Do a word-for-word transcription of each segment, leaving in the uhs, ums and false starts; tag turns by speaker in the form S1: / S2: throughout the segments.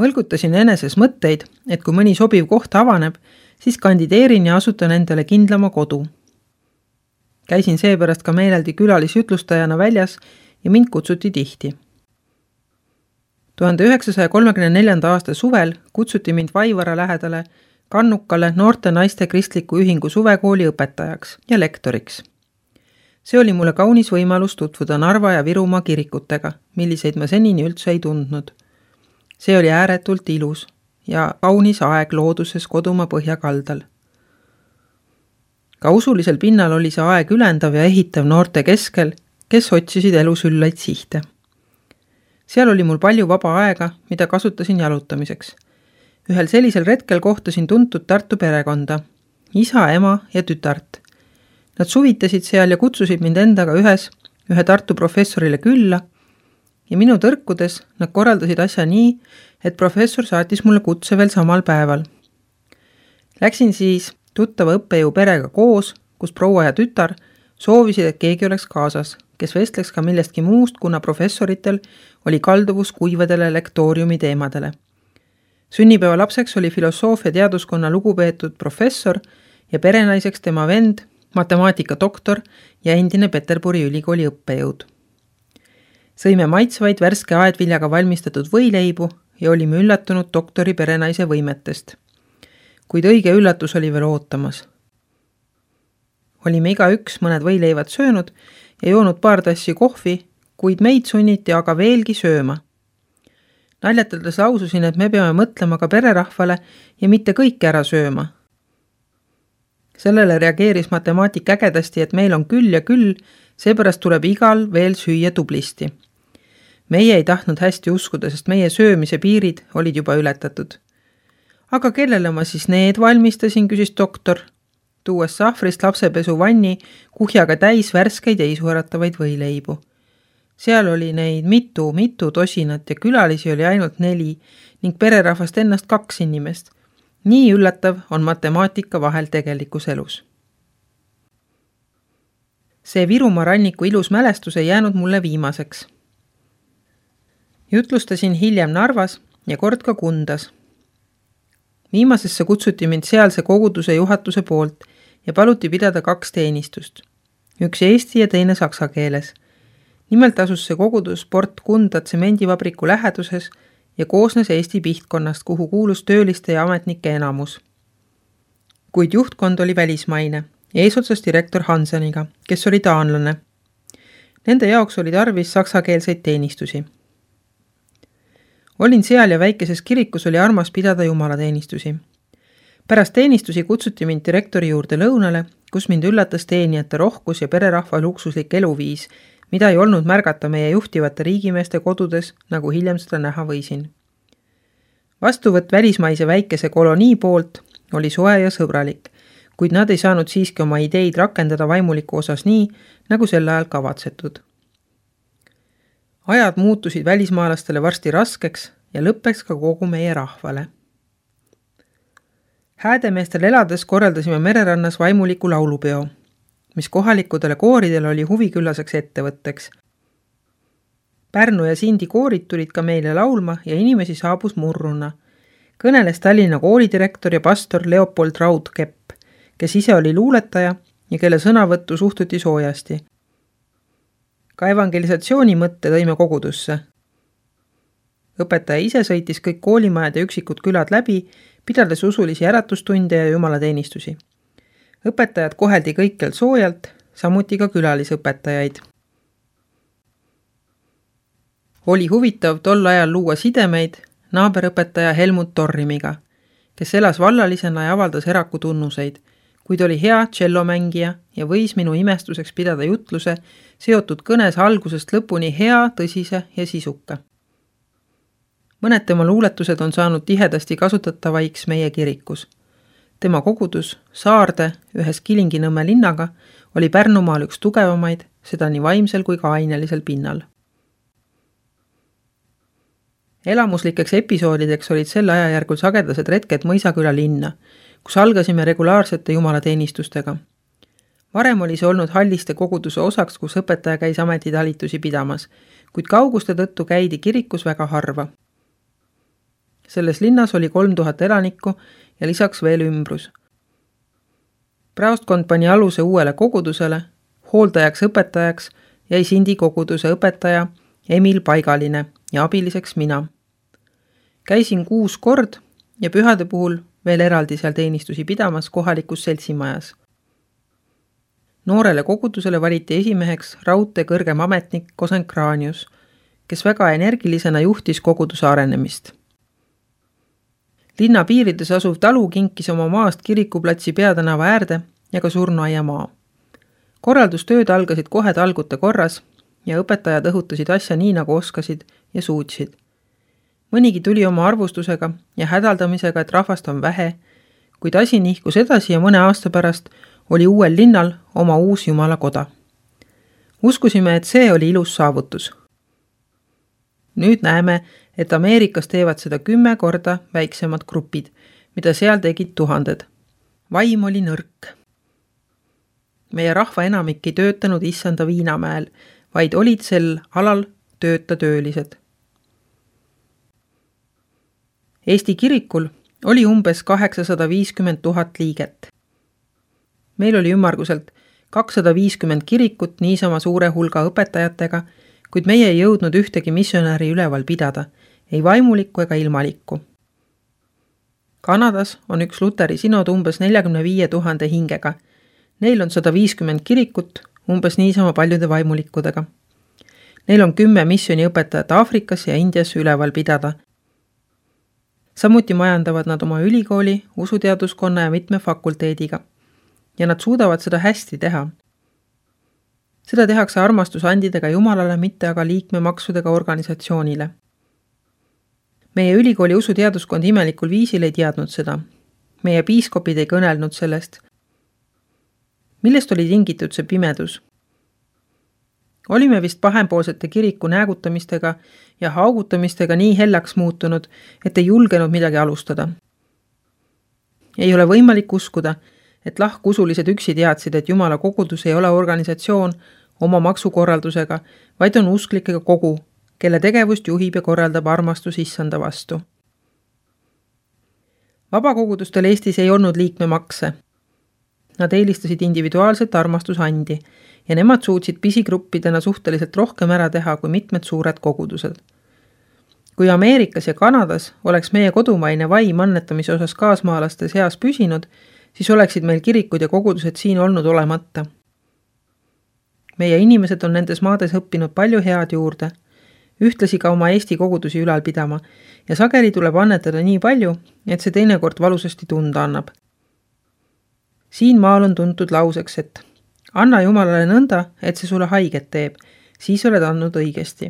S1: Mõlgutasin eneses mõtteid, et kui mõni sobiv koht avaneb, siis kandideerin ja asutan endale kindlama kodu. Käisin seepärast ka meeleldi külalisjutlustajana väljas ja mind kutsuti tihti. tuhande üheksasaja kolmekümne neljanda aasta suvel kutsuti mind Vaivara lähedale Kannukale noorte naiste kristliku ühingu suvekooli õpetajaks ja lektoriks. See oli mulle kaunis võimalus tutvuda Narva ja Virumaa kirikutega, milliseid ma senini üldse ei tundnud. See oli ääretult ilus ja kaunis aeg looduses kodumaa põhjakaldal. Ka usulisel pinnal oli see aeg ülendav ja ehitav noorte keskel, kes otsisid elus üllaid sihte. Seal oli mul palju vaba aega, mida kasutasin jalutamiseks. Ühel sellisel retkel kohtasin tuntud Tartu perekonda, isa, ema ja tütart. Nad suvitasid seal ja kutsusid mind endaga ühes ühe Tartu professorile külla ja minu tõrkudes nad korraldasid asja nii, et professor saatis mulle kutse veel samal päeval. Läksin siis tuttava õppejõu perega koos, kus proua ja tütar soovisid, et keegi oleks kaasas, kes vestleks ka millestki muust, kuna professoritel oli kalduvus kuivadele lektooriumi teemadele. Sünnipäeva lapseks oli filosoofia teaduskonna lugupeetud professor ja perenaiseks tema vend, matemaatika doktor ja endine Peterburi ülikooli õppejõud. Sõime maitsvaid värske aedviljaga valmistatud võileibu ja olime üllatunud doktori perenaise võimetest. Kuid õige üllatus oli veel ootamas. Olime iga üks mõned võileivad söönud ja joonud paar tassi kohvi, kuid meid sunniti aga veelgi sööma. Naljatades laususin, et me peame mõtlema ka pererahvale ja mitte kõike ära sööma. Sellele reageeris matemaatik ägedasti, et meil on küll ja küll, seepärast tuleb igal veel süüa tublisti. Meie ei tahtnud hästi uskuda, sest meie söömise piirid olid juba ületatud. Aga kellele ma siis need valmistasin, küsis doktor, tuues sahvrist lapsepesu vanni kuhjaga täis värskeid ja isuäratavaid võileibu. Seal oli neid mitu, mitu tosinat ja külalisi oli ainult neli ning pererahvast ennast kaks inimest. Nii üllatav on matemaatika vahel tegelikus elus. See Virumaa ranniku ilus mälestus ei jäänud mulle viimaseks. Jutlustasin hiljem Narvas ja kord ka Kundas. Viimasesse kutsuti mind sealse koguduse juhatuse poolt ja paluti pidada kaks teenistust. Üks eesti ja teine saksa keeles. Nimelt asus see kogudus Port Kunda tsemendivabriku läheduses ja koosnes Eesti pihtkonnast, kuhu kuulus tööliste ja ametnike enamus. Kuid juhtkond oli välismaine, eesotsas direktor Hanseniga, kes oli taanlane. Nende jaoks oli tarvis saksakeelseid teenistusi. Olin seal ja väikeses kirikus oli armas pidada jumalateenistusi. Pärast teenistusi kutsuti mind direktori juurde lõunale, kus mind üllatas teenijate rohkus ja pererahva luksuslik eluviis, mida ei olnud märgata meie juhtivate riigimeeste kodudes, nagu hiljem seda näha võisin. Vastuvõtt välismaise väikese kolonii poolt oli soe ja sõbralik, kuid nad ei saanud siiski oma ideid rakendada vaimuliku osas nii, nagu sel ajal kavatsetud. Ajad muutusid välismaalastele varsti raskeks ja lõppeks ka kogu meie rahvale. Häädemeestel elades korraldasime mererannas vaimuliku laulupeo, mis kohalikudele kooridele oli huviküllaseks ettevõtteks. Pärnu ja Sindi koorid tulid ka meile laulma ja inimesi saabus murruna. Kõneles Tallinna koolidirektor ja pastor Leopold Raudkepp, kes ise oli luuletaja ja kelle sõnavõttu suhtuti soojasti. Ka evangelisatsiooni mõtte tõime kogudusse. Õpetaja ise sõitis kõik koolimajad ja üksikud külad läbi, pidades usulisi äratustunde ja jumalateenistusi. Õpetajad koheldi kõikjal soojalt, samuti ka külalisõpetajaid. Oli huvitav tol ajal luua sidemeid naaberõpetaja Helmut Torrimiga, kes elas vallalisena ja avaldas eraku tunnuseid, kuid oli hea tšellomängija ja võis minu imestuseks pidada jutluse seotud kõnes algusest lõpuni hea, tõsise ja sisuka. Mõned tema luuletused on saanud tihedasti kasutatavaiks meie kirikus. Tema kogudus, Saarde, ühes Kilingi-Nõmme linnaga, oli Pärnumaal üks tugevamaid, seda nii vaimsel kui ka ainelisel pinnal. Elamuslikeks episoodideks olid sel ajajärgul sagedased retked Mõisaküla linna, kus algasime regulaarsete jumalateenistustega. Varem oli see olnud Halliste koguduse osaks, kus õpetaja käis ametitalitusi pidamas, kuid kauguste tõttu käidi kirikus väga harva. Selles linnas oli kolm tuhat elanikku ja lisaks veel ümbrus. Praostkond pani aluse uuele kogudusele, hooldajaks õpetajaks jäi Sindi koguduse õpetaja Emil Paigaline ja abiliseks mina. Käisin kuus kord ja pühade puhul veel eraldi seal teenistusi pidamas kohalikus seltsimajas. Noorele kogudusele valiti esimeheks raudtee kõrgem ametnik Kosenkraanius, kes väga energilisena juhtis koguduse arenemist. Linna piirides asuv talu kinkis oma maast kirikuplatsi peatänava äärde ja ka surnuaia maa. Korraldustööd algasid kohe talgute korras ja õpetajad õhutasid asja nii, nagu oskasid ja suutsid. Mõnigi tuli oma arvustusega ja hädaldamisega, et rahvast on vähe, kuid asi nihkus edasi ja mõne aasta pärast oli uuel linnal oma uus jumalakoda. Uskusime, et see oli ilus saavutus. Nüüd näeme, et Ameerikas teevad seda kümme korda väiksemad grupid, mida seal tegid tuhanded. Vaim oli nõrk. Meie rahva enamik ei töötanud issanda Viinamäel, vaid olid sel alal tööta töölised. Eesti kirikul oli umbes kaheksasada viiskümmend tuhat liiget. Meil oli ümmarguselt kakssada viiskümmend kirikut niisama suure hulga õpetajatega, kuid meie ei jõudnud ühtegi missionäri üleval pidada, ei vaimulikku ega ilmalikku. Kanadas on üks Luteri sinod umbes neljakümne viie tuhande hingega. Neil on sada viiskümmend kirikut, umbes niisama paljude vaimulikkudega. Neil on kümme missioniõpetajat Aafrikas ja Indias üleval pidada. Samuti majandavad nad oma ülikooli, usuteaduskonna ja mitme fakulteediga. Ja nad suudavad seda hästi teha. Seda tehakse armastusandidega Jumalale, mitte aga liikmemaksudega organisatsioonile. Meie ülikooli usuteaduskond imelikul viisil ei teadnud seda. Meie piiskopid ei kõnelnud sellest. Millest oli tingitud see pimedus? Olime vist pahempoolsete kiriku näägutamistega ja haugutamistega nii hellaks muutunud, et ei julgenud midagi alustada. Ei ole võimalik uskuda, et lahkusulised üksi teadsid, et Jumala kogudus ei ole organisatsioon oma maksukorraldusega, vaid on usklikega kogu, kelle tegevust juhib ja korraldab armastus issanda vastu. Vabakogudustel Eestis ei olnud liikmemakse. Nad eelistasid individuaalset armastusandi ja nemad suutsid pisigruppidena suhteliselt rohkem ära teha kui mitmed suured kogudused. Kui Ameerikas ja Kanadas oleks meie kodumaine vaim annetamise osas kaasmaalaste seas püsinud, siis oleksid meil kirikud ja kogudused siin olnud olemata. Meie inimesed on nendes maades õppinud palju head juurde, ühtlasi ka oma Eesti kogudusi ülal pidama ja sageli tuleb annetada nii palju, et see teinekord valusasti tunda annab. Siin maal on tuntud lauseks, et anna Jumalale nõnda, et see sulle haiget teeb, siis oled andnud õigesti.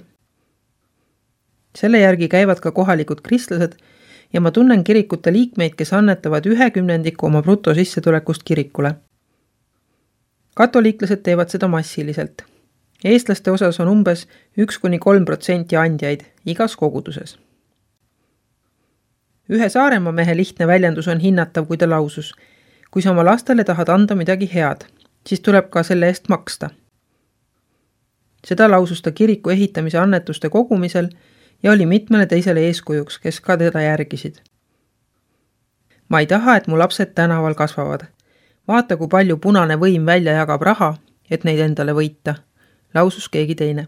S1: Selle järgi käivad ka kohalikud kristlased ja ma tunnen kirikute liikmeid, kes annetavad ühe kümnendiku oma bruto sissetulekust kirikule. Katoliiklased teevad seda massiliselt. Eestlaste osas on umbes üks kuni kolm protsenti andjaid igas koguduses. Ühe Saaremaa mehe lihtne väljendus on hinnatav, kui ta lausus: kui sa oma lastele tahad anda midagi head, siis tuleb ka selle eest maksta. Seda lausus ta kiriku ehitamise annetuste kogumisel ja oli mitmele teisele eeskujuks, kes ka teda järgisid. Ma ei taha, et mu lapsed tänaval kasvavad. Vaata, kui palju punane võim välja jagab raha, et neid endale võita, lausus keegi teine.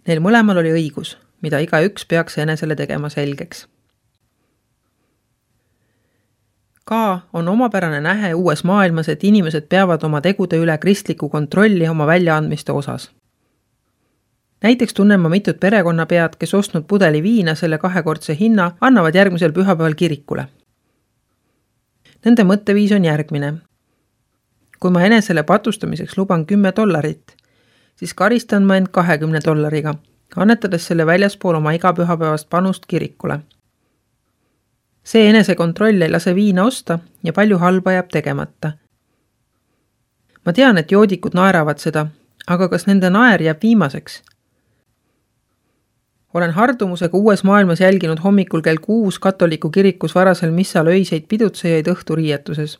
S1: Neil mõlemal oli õigus, mida iga üks peaks enesele tegema selgeks. Ka on omapärane nähe uues maailmas, et inimesed peavad oma tegude üle kristliku kontrolli oma väljaandmiste osas. Näiteks tunnen ma mitut perekonnapead, kes ostnud pudeli viina selle kahekordse hinna, annavad järgmisel pühapäeval kirikule. Nende mõtteviis on järgmine. Kui ma enesele patustamiseks luban kümme dollarit, siis karistan ma end kahekümne dollariga, annetades selle väljaspool oma igapühapäevast panust kirikule. See enesekontroll ei lase viina osta ja palju halba jääb tegemata. Ma tean, et joodikud naeravad seda, aga kas nende naer jääb viimaseks? Olen hardumusega uues maailmas jälginud hommikul kell kuus katoliku kirikus varasel missal öiseid pidutsejaid õhturiietuses.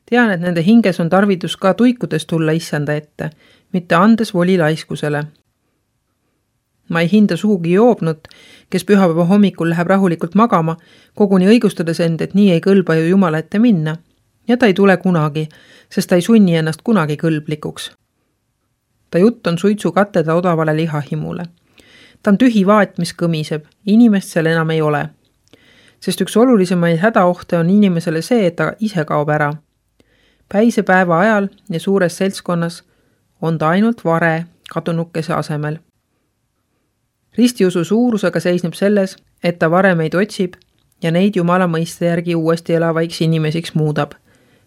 S1: Tean, et nende hinges on tarvidus ka tuikudes tulla issanda ette, mitte andes voli laiskusele. Ma ei hinda sugugi joobnut, kes pühapäeva hommikul läheb rahulikult magama, koguni õigustades end, et nii ei kõlba ju Jumala ette minna. Ja ta ei tule kunagi, sest ta ei sunni ennast kunagi kõlblikuks. Ta jutt on suitsu katteda odavale lihahimule. Ta on tühi vaat, mis kõmiseb, inimest seal enam ei ole. Sest üks olulisemaid hädaohte on inimesele see, et ta ise kaob ära. Päise päeva ajal ja suures seltskonnas on ta ainult vare kadunukese asemel. Ristiusu suurusega seisneb selles, et ta varemeid otsib ja neid Jumala mõiste järgi uuesti elavaiks inimesiks muudab.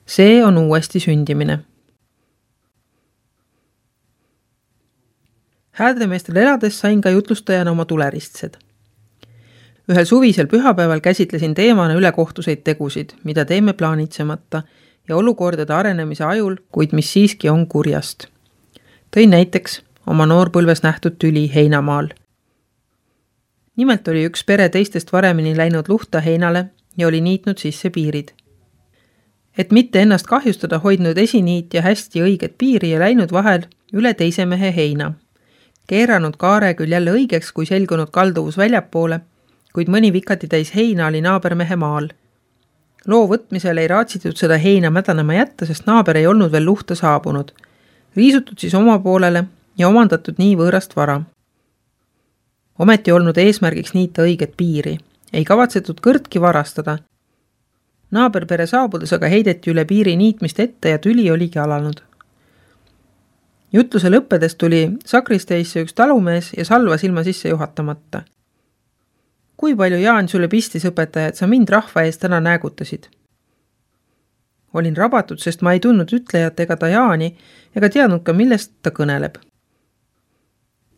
S1: See on uuesti sündimine. Häädremeestel elades sain ka jutlustajana oma tuleristsed. Ühel suvisel pühapäeval käsitlesin teemana ülekohtuseid tegusid, mida teeme plaanitsemata ja olukordade arenemise ajul, kuid mis siiski on kurjast. Tõin näiteks oma noorpõlves nähtud tüli heinamaal. Nimelt oli üks pere teistest varemini läinud luhta heinale ja oli niitnud sisse piirid. Et mitte ennast kahjustada, hoidnud esiniit ja hästi õiget piiri ja läinud vahel üle teise mehe heina. Keeranud kaare küll jälle õigeks, kui selgunud kalduvus väljapoole, kuid mõni vikati täis heina oli naabermehe maal. Loo võtmisel ei raatsitud seda heina mädanema jätta, sest naaber ei olnud veel luhta saabunud. Riisutud siis oma poolele ja omandatud nii võõrast vara. Ometi olnud eesmärgiks niita õiget piiri. Ei kavatsetud kõrtki varastada. Naaberpere saabudes aga heideti üle piiri niitmist ette ja tüli oligi alanud. Jutluse lõppedes tuli sakristeisse üks talumees ja salvas ilma sisse juhatamata. Kui palju Jaan sulle pistis õpetaja, et sa mind rahva ees täna näägutasid? Olin rabatud, sest ma ei tundnud ütlejat ega ta Jaani ega teadnud ka, millest ta kõneleb.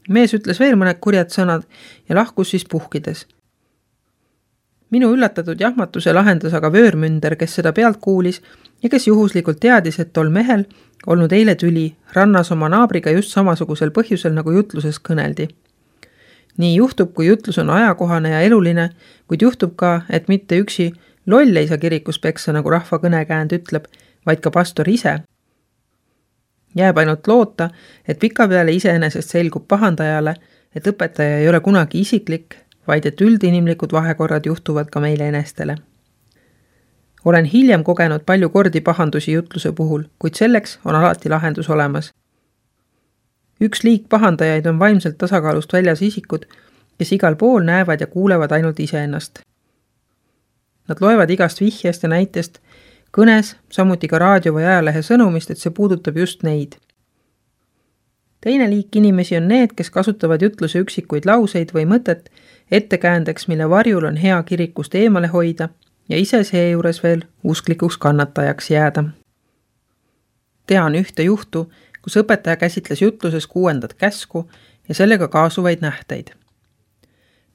S1: Mees ütles veel mõned kurjad sõnad ja lahkus siis puhkides. Minu üllatatud jahmatuse lahendas aga vöörmünder, kes seda pealt kuulis ja kes juhuslikult teadis, et tol mehel olnud eile tüli rannas oma naabriga just samasugusel põhjusel, nagu jutluses kõneldi. Nii juhtub, kui jutlus on ajakohane ja eluline, kuid juhtub ka, et mitte üksi loll ei saa kirikus peksa, nagu rahva kõnekäänd ütleb, vaid ka pastor ise. Jääb ainult loota, et pika peale iseenesest selgub pahandajale, et õpetaja ei ole kunagi isiklik, vaid et üldinimlikud vahekorrad juhtuvad ka meile enestele. Olen hiljem kogenud palju kordi pahandusi jutluse puhul, kuid selleks on alati lahendus olemas. Üks liik pahandajaid on vaimselt tasakaalust väljas isikud, kes igal pool näevad ja kuulevad ainult iseennast. Nad loevad igast vihjest ja näitest, kõnes, samuti ka raadio või ajalehe sõnumist, et see puudutab just neid. Teine liik inimesi on need, kes kasutavad jutluse üksikuid lauseid või mõtet ettekäändeks, mille varjul on hea kirikust eemale hoida ja ise seejuures veel usklikuks kannatajaks jääda. Tean ühte juhtu, kus õpetaja käsitles jutluses kuuendat käsku ja sellega kaasuvaid nähteid.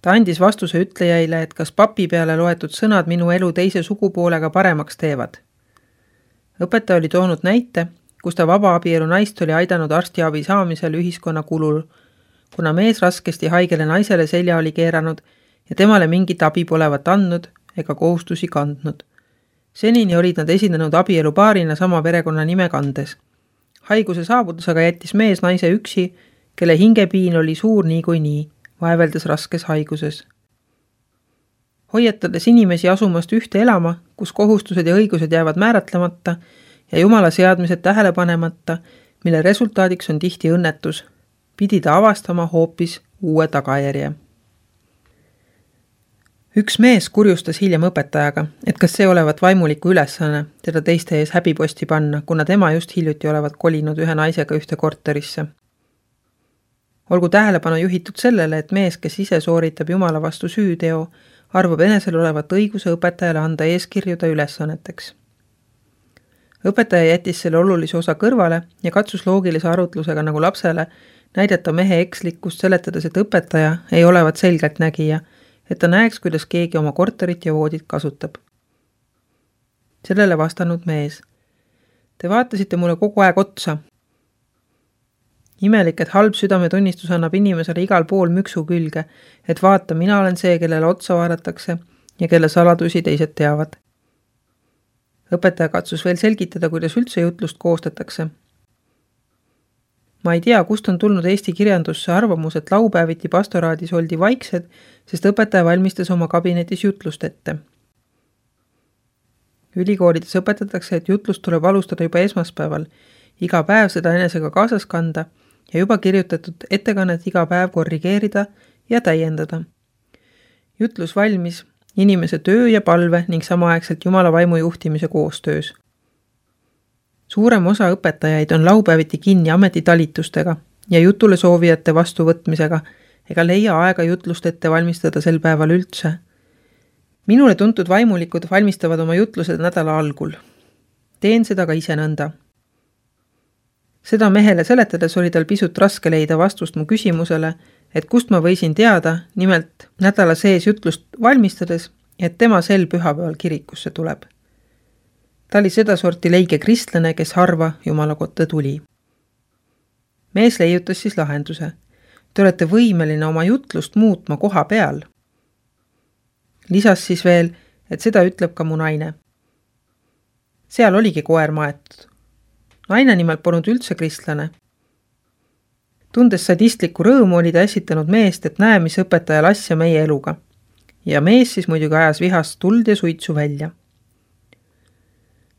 S1: Ta andis vastuse ütlejaile, et kas papi peale loetud sõnad minu elu teise sugupoolega paremaks teevad. Õpetaja oli toonud näite, kus ta vabaabielu naist oli aidanud arstiabi saamisel ühiskonna kulul, kuna mees raskesti haigele naisele selja oli keeranud ja temale mingit abi polevat andnud ega kohustusi kandnud. Senini olid nad esinenud abielu paarina sama perekonna nime kandes. Haiguse saabudes aga jättis mees naise üksi, kelle hingepiin oli suur nii kui nii, vaeveldes raskes haiguses. Hoiatades inimesi asumast ühte elama, kus kohustused ja õigused jäävad määratlemata ja Jumala seadmised tähele panemata, mille resultaadiks on tihti õnnetus, pidi ta avastama hoopis uue tagajärje. Üks mees kurjustas hiljem õpetajaga, et kas see olevat vaimuliku ülesanne teda teiste ees häbiposti panna, kuna tema just hiljuti olevat kolinud ühe naisega ühte korterisse. Olgu tähelepanu juhitud sellele, et mees, kes ise sooritab Jumala vastu süüteo, arvab enesel olevat õiguse õpetajale anda eeskirjuda ülesanneteks. Õpetaja jättis selle olulise osa kõrvale ja katsus loogilise arutlusega nagu lapsele näidata mehe ekslikkust, seletades, et õpetaja ei olevat selgelt nägija, et ta näeks, kuidas keegi oma korterit ja voodit kasutab. Sellele vastanud mees. Te vaatasite mulle kogu aeg otsa. Imelik, et halb südametunnistus annab inimesele igal pool müksu külge, et vaata, mina olen see, kellele otsa vaadatakse ja kelle saladusi teised teavad. Õpetaja katsus veel selgitada, kuidas üldse jutlust koostatakse. Ma ei tea, kust on tulnud Eesti kirjandusse arvamus, et laupäeviti pastoraadis oldi vaiksed, sest õpetaja valmistas oma kabinetis jutlust ette. Ülikoolides õpetatakse, et jutlust tuleb alustada juba esmaspäeval, iga päev seda enesega kaasas kanda ja juba kirjutatud ettekannet iga päev korrigeerida ja täiendada. Jutlus valmis inimese töö ja palve ning samaaegselt Jumala vaimu juhtimise koostöös. Suurem osa õpetajaid on laupäeviti kinni ametitalitustega ja jutule soovijate vastuvõtmisega ega leia aega jutlust ette valmistada sel päeval üldse. Minule tuntud vaimulikud valmistavad oma jutlused nädala algul. Teen seda ka ise nõnda. Seda mehele seletades oli tal pisut raske leida vastust mu küsimusele, et kust ma võisin teada, nimelt nädala sees jutlust valmistades, et tema sel pühapäeval kirikusse tuleb. Ta oli sedasorti leige kristlane, kes harva Jumala kotta tuli. Mees leiutas siis lahenduse. Te olete võimeline oma jutlust muutma koha peal. Lisas siis veel, et seda ütleb ka mu naine. Seal oligi koer maetud. Naine nimelt polnud üldse kristlane. Tundes sadistlikku rõõmu oli ta esitanud meest, et näe, mis õpetaja asja meie eluga. Ja mees siis muidugi ajas vihast tuld ja suitsu välja.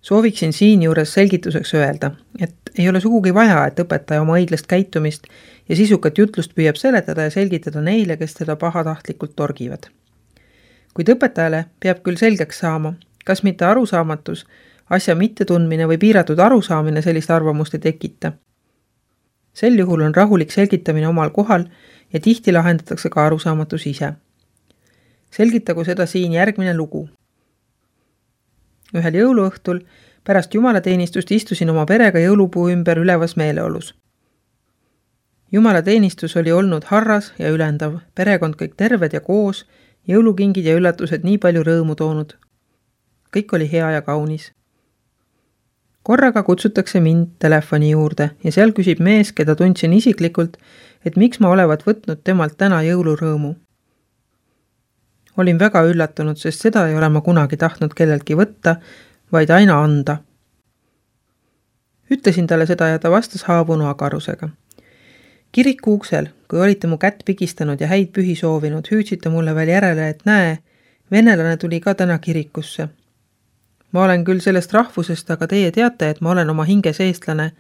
S1: Sooviksin siin juures selgituseks öelda, et ei ole sugugi vaja, et õpetaja oma õiglast käitumist ja sisukat jutlust püüab seletada ja selgitada neile, kes teda pahatahtlikult torgivad. Kuid õpetajale peab küll selgeks saama, kas mitte arusaamatus, asja mittetundmine või piiratud arusaamine sellist arvamust ei tekita. Sel juhul on rahulik selgitamine omal kohal ja tihti lahendatakse ka arusaamatus ise. Selgitagu seda siin järgmine lugu. Ühel jõuluõhtul pärast jumalateenistust istusin oma perega jõulupuu ümber ülevas meeleolus. Jumalateenistus oli olnud harras ja ülendav, perekond kõik terved ja koos, jõulukingid ja üllatused nii palju rõõmu toonud. Kõik oli hea ja kaunis. Korraga kutsutakse mind telefoni juurde ja seal küsib mees, keda tundsin isiklikult, et miks ma olevat võtnud temalt täna jõulurõõmu. Olin väga üllatunud, sest seda ei ole ma kunagi tahtnud kelleltki võtta, vaid aina anda. Ütlesin talle seda ja ta vastas haavunu agarusega. Kiriku uksel, kui olite mu kätt pigistanud ja häid pühi soovinud, hüüdsite mulle veel järele, et näe, venelane tuli ka täna kirikusse. Ma olen küll sellest rahvusest, aga teie teate, et ma olen oma hinges eestlane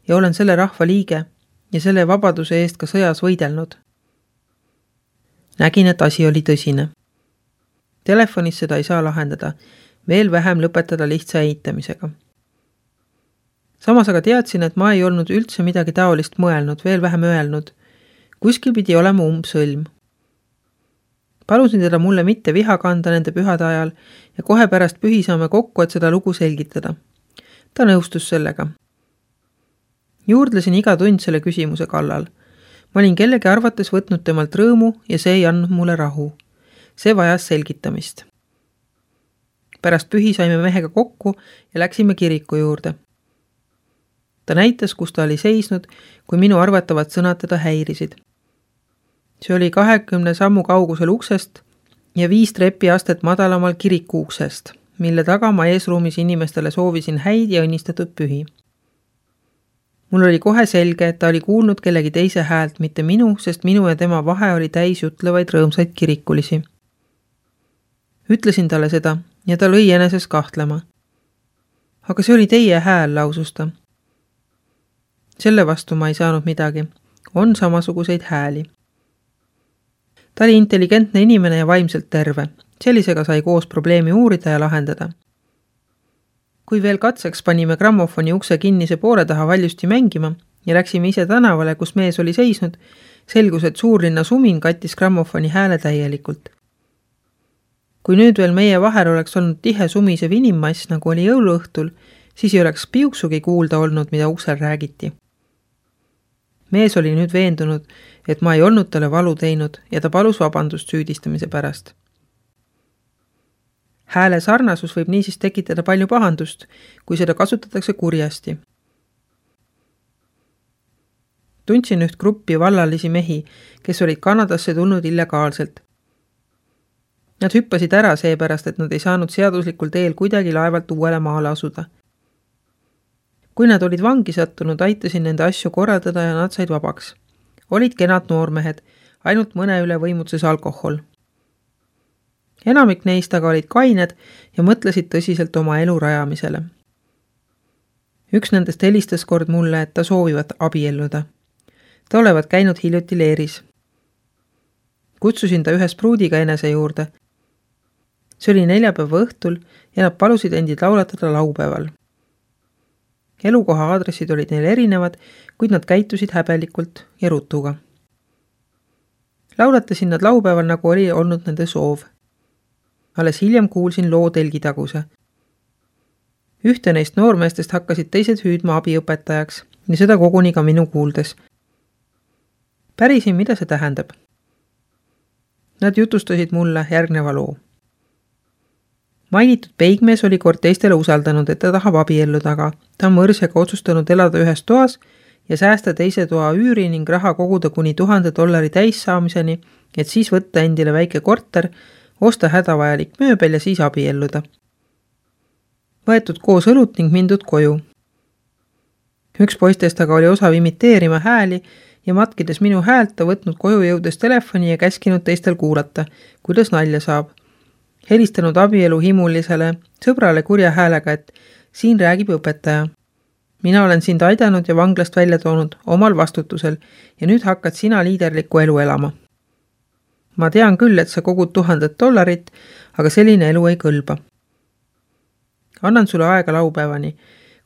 S1: ja olen selle rahva liige ja selle vabaduse eest ka sõjas võidelnud. Nägin, et asi oli tõsine. Telefonis seda ei saa lahendada, veel vähem lõpetada lihtsa eitamisega. Samas aga teadsin, et ma ei olnud üldse midagi taolist mõelnud, veel vähem öelnud. Kuskil pidi olema umbsõlm. Palusin teda mulle mitte viha kanda nende pühade ajal ja kohe pärast pühi saame kokku, et seda lugu selgitada. Ta nõustus sellega. Juurdlesin iga tund selle küsimuse kallal. Ma olin kellegi arvates võtnud temalt rõõmu ja see ei andnud mulle rahu. See vajas selgitamist. Pärast pühi saime mehega kokku ja läksime kiriku juurde. Ta näitas, kus ta oli seisnud, kui minu arvatavad sõnad teda häirisid. See oli kahekümne sammu kaugusel uksest ja viis trepiastet madalamal kiriku uksest, mille taga ma eesruumis inimestele soovisin häid ja õnnistatud pühi. Mul oli kohe selge, et ta oli kuulnud kellegi teise häält, mitte minu, sest minu ja tema vahe oli täis jutlevaid rõõmsaid kirikulisi. Ütlesin talle seda ja ta lõi eneses kahtlema. Aga see oli teie hääl, lausus ta. Selle vastu ma ei saanud midagi. On samasuguseid hääli. Ta oli intelligentne inimene ja vaimselt terve. Sellisega sai koos probleemi uurida ja lahendada. Kui veel katseks panime grammofoni ukse kinnise poole taha valjusti mängima ja läksime ise tänavale, kus mees oli seisnud, selgus, et suurlinna sumin kattis grammofoni hääle täielikult. Kui nüüd veel meie vahel oleks olnud tihe sumisev inimmass, nagu oli jõuluõhtul, siis ei oleks piuksugi kuulda olnud, mida uksel räägiti. Mees oli nüüd veendunud, et ma ei olnud talle valu teinud ja ta palus vabandust süüdistamise pärast. Hääle sarnasus võib niisiis tekitada palju pahandust, kui seda kasutatakse kurjasti. Tundsin üht gruppi vallalisi mehi, kes olid Kanadasse tulnud illegaalselt. Nad hüppasid ära seepärast, et nad ei saanud seaduslikul teel kuidagi laevalt uuele maale asuda. Kui nad olid vangi sattunud, aitasin nende asju korraldada ja nad said vabaks. Olid kenad noormehed, ainult mõne üle võimutses alkohol. Enamik neist aga olid kained ja mõtlesid tõsiselt oma elu rajamisele. Üks nendest helistas kord mulle, et ta soovivad abielluda. Ta olevat käinud hiljuti leeris. Kutsusin ta ühes pruudiga enese juurde. See oli neljapäeva õhtul ja nad palusid endid laulatada laupäeval. Elukoha aadressid olid neil erinevad, kuid nad käitusid häbelikult ja rutuga. Laulatasin nad laupäeval, nagu oli olnud nende soov. Alles hiljem kuulsin loo telgitaguse. Ühte neist noormeestest hakkasid teised hüüdma abiõpetajaks ja seda koguni ka minu kuuldes. Pärisin, mida see tähendab. Nad jutustasid mulle järgneva loo. Mainitud peigmees oli kord teistele usaldanud, et ta tahab abielluda, aga ta on mõrsjaga otsustanud elada ühes toas ja säästa teise toa üüri ning raha koguda kuni tuhande dollari täis saamiseni, et siis võtta endile väike korter, osta hädavajalik mööbel ja siis abielluda. Võetud koos õlut ning mindud koju. Üks poistest aga oli osav imiteerima hääli ja matkides minu häält ta võtnud koju jõudes telefoni ja käskinud teistel kuulata, kuidas nalja saab. Helistanud abielu himulisele sõbrale kurja häälega, et siin räägib õpetaja. Mina olen sind aidanud ja vanglast välja toonud omal vastutusel ja nüüd hakkad sina liiderlikku elu elama. Ma tean küll, et sa kogud tuhandet dollarit, aga selline elu ei kõlba. Annan sulle aega laupäevani.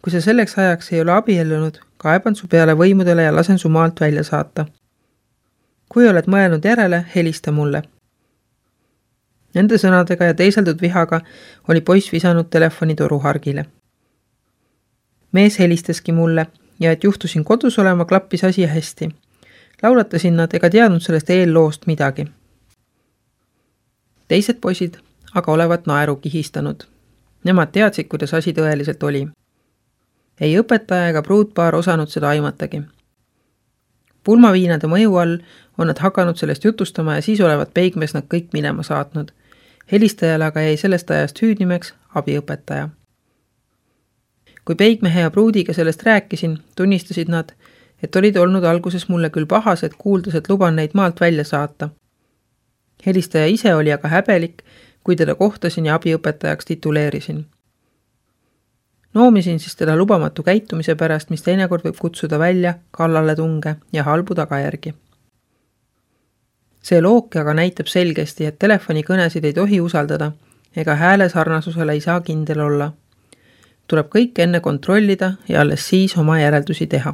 S1: Kui sa selleks ajaks ei ole abiellunud, kaeban su peale võimudele ja lasen su maalt välja saata. Kui oled mõelnud järele, helista mulle. Nende sõnadega ja teiseldud vihaga oli poiss visanud telefoni toruhargile. Mees helistaski mulle ja et juhtusin kodus olema, klappis asi hästi. Laulatasin nad ega teadnud sellest eelloost midagi. Teised poisid aga olevat naeru kihistanud. Nemad teadsid, kuidas asi tõeliselt oli. Ei õpetaja ega pruutpaar osanud seda aimatagi. Pulmaviinade mõju all on nad hakanud sellest jutustama ja siis olevat peigmees nad kõik minema saatnud. Helistajale aga jäi sellest ajast hüüdnimeks abiõpetaja. Kui peigmehe ja pruudiga sellest rääkisin, tunnistasid nad, et olid olnud alguses mulle küll pahased, kuuldes, et luban neid maalt välja saata. Helistaja ise oli aga häbelik, kui teda kohtasin ja abiõpetajaks tituleerisin. Noomisin siis teda lubamatu käitumise pärast, mis teinekord võib kutsuda välja kallale tunge ja halbu tagajärgi. See looke aga näitab selgesti, et telefonikõnesid ei tohi usaldada ega hääle sarnasusele ei saa kindel olla. Tuleb kõik enne kontrollida ja alles siis oma järeldusi teha.